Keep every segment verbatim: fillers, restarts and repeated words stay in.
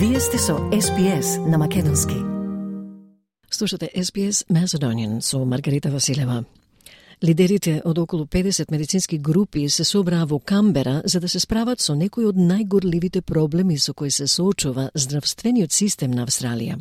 Вие сте со Ес Би Ес на македонски. Слушате Ес Би Ес Macedonian со Маргарита Василева. Лидерите од околу педесет медицински групи се собраа во Камбера за да се справат со некои од најгорливите проблеми со кои се соочува здравствениот систем на Австралија.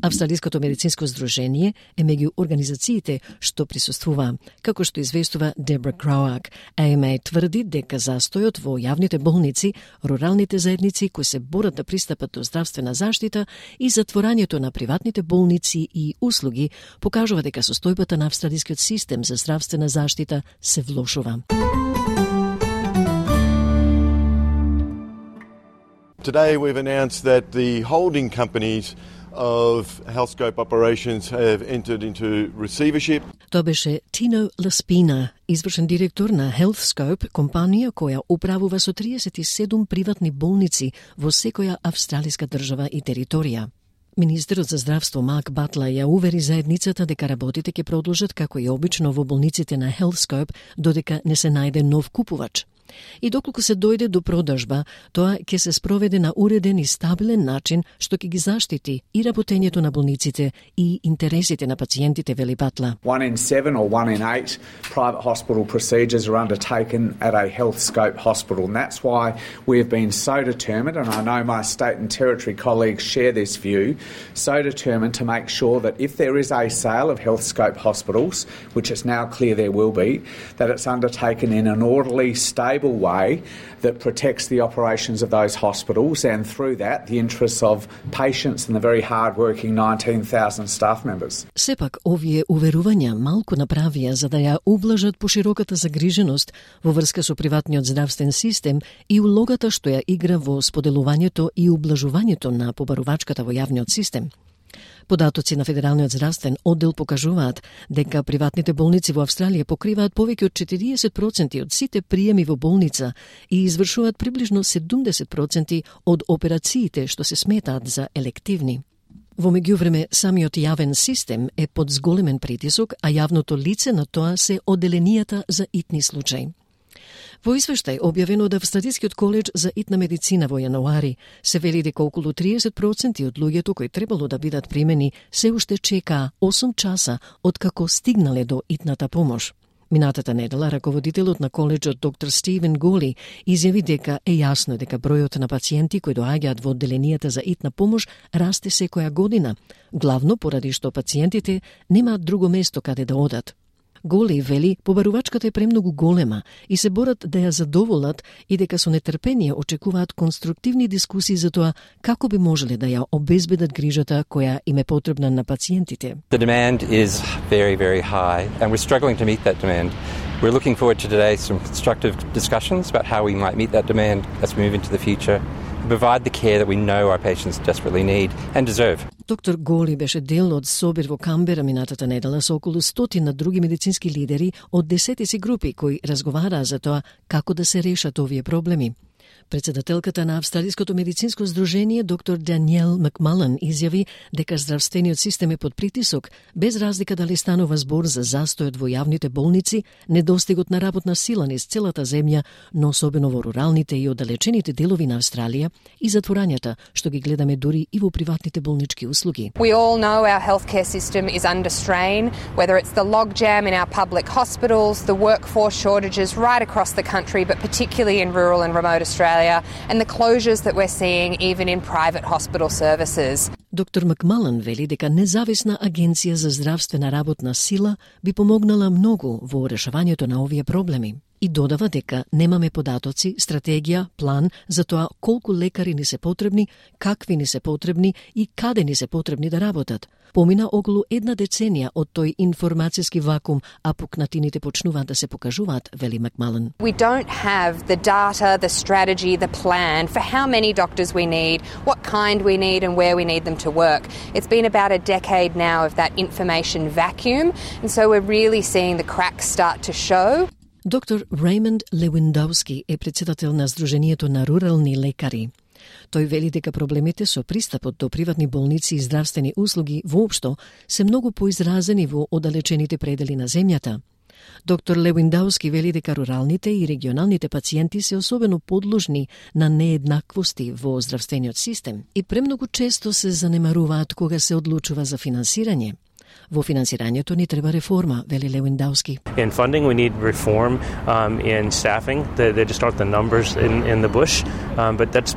Австралиското медицинско здружение е меѓу организациите што присуствуваа, како што известува Дебра Кроак. А Ем А тврди дека застојот во јавните болници, руралните заедници кои се борат да пристапат до здравствена заштита и затворањето на приватните болници и услуги покажува дека состојбата на австралискиот систем за здравствена заштита се влошува. Today we've announced that the holding companies of Healthscope operations have entered into receivership. Тоа беше Tino Laspina, извршен директор на Healthscope, компанија која управува со триесет и седум приватни болници во секоја австралиска држава и територија. Министерот за здравство Марк Батла ја увери заедницата дека работите ќе продолжат како и обично во болниците на Healthscope додека не се најде нов купувач. И доколку се дојде до продажба, тоа ќе се спроведе на уреден и стабилен начин што ќе ги заштити и работењето на болниците и интересите на пациентите, вели Батла. One in seven or one in eight private hospital procedures are undertaken at a Healthscope hospital, and that's why we have been so determined, and I know my state and territory colleagues share this view, so determined to make sure that if there is a sale of Healthscope hospitals, which is now clear there will be, that it's undertaken in an orderly, stable way that protects the operations of those hospitals and through that the interests of patients and the very hard-working nineteen thousand staff members. Сепак, овие уверувања малку направија за да ја ублажат пошироката загриженост во врска со приватниот здравствен систем и улогата што ја игра во споделувањето и ублажувањето на побарувачката во јавниот систем. Податоци на Федералниот здравствен оддел покажуваат дека приватните болници во Австралија покриваат повеќе од четириесет проценти од сите приеми во болница и извршуваат приближно седумдесет проценти од операциите што се сметаат за елективни. Во меѓувреме, самиот јавен систем е под зголемен притисок, а јавното лице на тоа се оделенијата за итни случаи. Во извештај објавен од Австралискиот коледж за итна медицина во јануари, се вели дека околу триесет проценти од луѓето кои требало да бидат примени се уште чекаа осум часа откако стигнале до итната помош. Минатата недела, раководителот на коледжот доктор Стивен Голи изјави дека е јасно дека бројот на пациенти кои доаѓаат во одделенијата за итна помош расте секоја година, главно поради што пациентите немаат друго место каде да одат. Голи вели, побарувачката е премногу голема и се борат да ја задоволат и дека со нетрпение очекуваат конструктивни дискусии за тоа како би можеле да ја обезбедат грижата која им е потребна на пациентите. The demand is very, very high and we're struggling to meet that demand. We're looking forward to today some constructive discussions about how we might meet that demand as we move into the future and provide the care that we know our patients desperately need and deserve. Доктор Голи беше дел од собир во Камбера минатата недела со околу стотина други медицински лидери од десетици групи кои разговараа за тоа како да се решат овие проблеми. Председателката на Австралиското медицинско здружение доктор Даниел Макмалан изјави дека здравствениот систем е под притисок, без разлика дали станува збор за застојот во јавните болници, недостигот на работна сила низ целата земја, но особено во руралните и оддалечените делови на Австралија и затворањата што ги гледаме дури и во приватните болнички услуги. We all know our healthcare system is under strain, whether it's the logjam in our public hospitals, the workforce shortages right across the country, but particularly in rural and remote Australia, and the closures that we're seeing even in private hospital services. Доктор Макмалан вели дека независна агенција за здравствена работна сила би помогнала многу во решавањето на овие проблеми. И додава дека немаме податоци, стратегија, план за тоа колку лекари ни се потребни, какви ни се потребни и каде ни се потребни да работат. Помина околу една деценија од тој информацијски вакуум, а пукнатините почнуваат да се покажуваат, вели Макмалан. We don't have the data, the strategy, the plan for how many doctors we need, what kind we need and where we need them to work. It's been about a decade now of that information vacuum, and so we're really seeing the cracks start to show. Доктор Реймонд Левиндовски е председател на Сдруженијето на рурални лекари. Тој вели дека проблемите со пристапот до приватни болници и здравствени услуги воопшто се многу поизразени во оддалечените предели на земјата. Доктор Левиндауски вели дека руралните и регионалните пациенти се особено подложни на нееднаквости во здравствениот систем и премногу често се занемаруваат кога се одлучува за финансирање. Во финансирањето ни треба реформа, вели Левиндауски. In funding, we need reform um, in staffing. They, they just aren't the numbers in, in the bush, um, but that's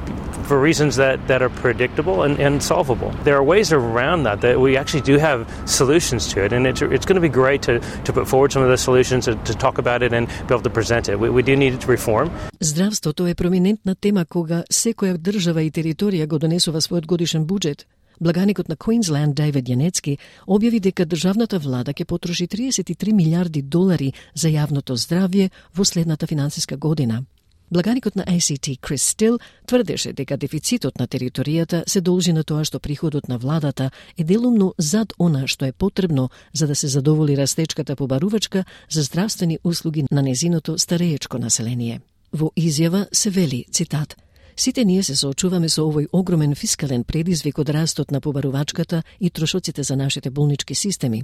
for reasons that, that are predictable and, and solvable. There are ways around that, that we actually do have solutions to it, and it's, it's going to be great to, to put forward some of those solutions, to, to talk about it and be able to present it. We, we do need to reform. Здравството е проминентна тема кога секоја држава и територија го донесува својот годишен буџет. Благаникот на Квинсленд Дейвид Јанецки објави дека државната влада ќе потроши триесет и три милиарди долари за јавното здравје во следната финансиска година. Благаникот на А Ц Т Крис Стил тврдеше дека дефицитот на територијата се должи на тоа што приходот на владата е делумно зад она што е потребно за да се задоволи растечката побарувачка за здравствени услуги на незиното стареечко население. Во изјава се вели, цитат: "Сите ние се соочуваме со овој огромен фискален предизвик од растот на побарувачката и трошоците за нашите болнички системи.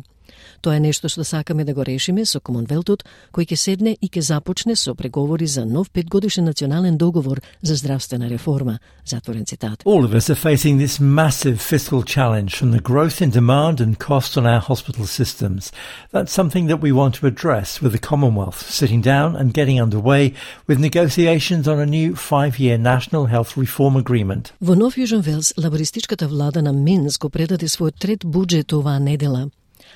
Тоа е нешто што сакаме да го решиме со Комонвелтот, кој ќе седне и ќе започне со преговори за нов петгодишен национален договор за здравствена реформа." Затворен цитат. All of us are facing this massive fiscal challenge from the growth in demand and cost on our hospital systems. That's something that we want to address with the Commonwealth, sitting down and getting underway with negotiations on a new five-year national health reform agreement. Во Нов Јужен Велс, лабористичката влада на Минс го предаде својот трет буџет оваа недела.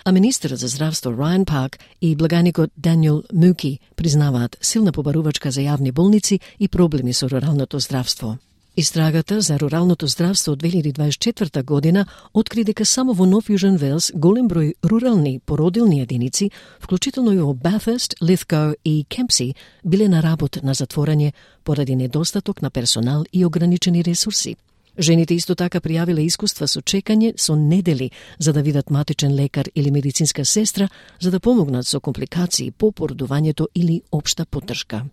А министерот за здравство Райан Пак и благаникот Даниел Муки признаваат силна побарувачка за јавни болници и проблеми со руралното здравство. Истрагата за руралното здравство од две илјади дваесет и четврта година откри дека само во Нов Јужен Велс голем број рурални породилни единици, вклучително и во Bathurst, Lithgow и Kempsey, биле на работ на затворање поради недостаток на персонал и ограничени ресурси. Жените исто така пријавиле искуства со чекање со недели за да видат матичен лекар или медицинска сестра за да помогнат со компликации по породувањето или општа поддршка.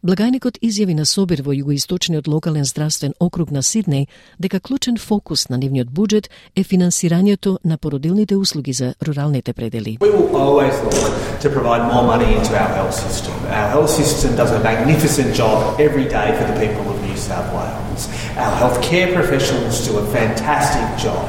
Благајникот изјави на собир во југоисточниот локален здравствен округ на Сиднеј дека клучен фокус на нивниот буџет е финансирањето на породилните услуги за руралните предели. We will always look to provide more money into our health system. Our health system does a magnificent job every day for the people of New South Wales. Our healthcare professionals do a fantastic job.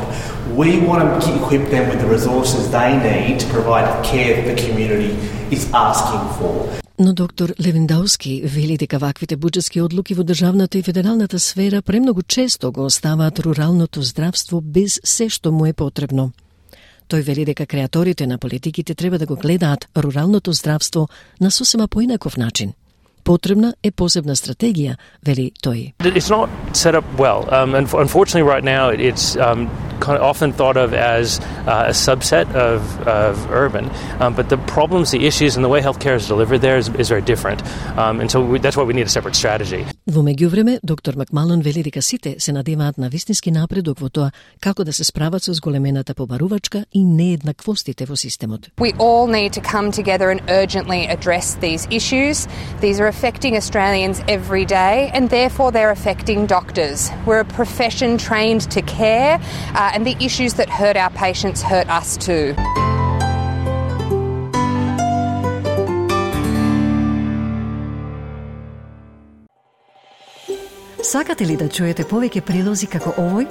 We want to equip them with the resources they need to provide the care that the community is asking for. Но доктор Левиндауски вели дека ваквите буџетски одлуки во државната и федералната сфера премногу често го оставаат руралното здравство без се што му е потребно. Тој вели дека креаторите на политиките треба да го гледаат руралното здравство на сосема поинаков начин. Потребна е посебна стратегија, вели тој. It's not set up well. Um, and unfortunately, right now, it's um, kind of often thought of as uh, a subset of, of urban. Um, but the problems, the issues, and the way healthcare is delivered there is, is very different. Um, and so we, that's why we need a separate strategy. Во меѓувреме, доктор Макмалон вели дека сите се надеваат на вистински напредок во тоа како да се справат со зголемената побарувачка и нееднаквостите во системот. We all need to come together and urgently address these issues. These are affecting Australians every day, and therefore they're affecting doctors. We're a profession trained to care, uh, and the issues that hurt our patients hurt us too. Сакате ли да чуете повеќе прилози како овој?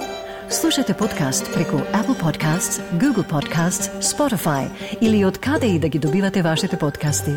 Слушате подкаст преку Apple Podcasts, Google Podcasts, Spotify или од каде и да ги добивате вашите подкасти.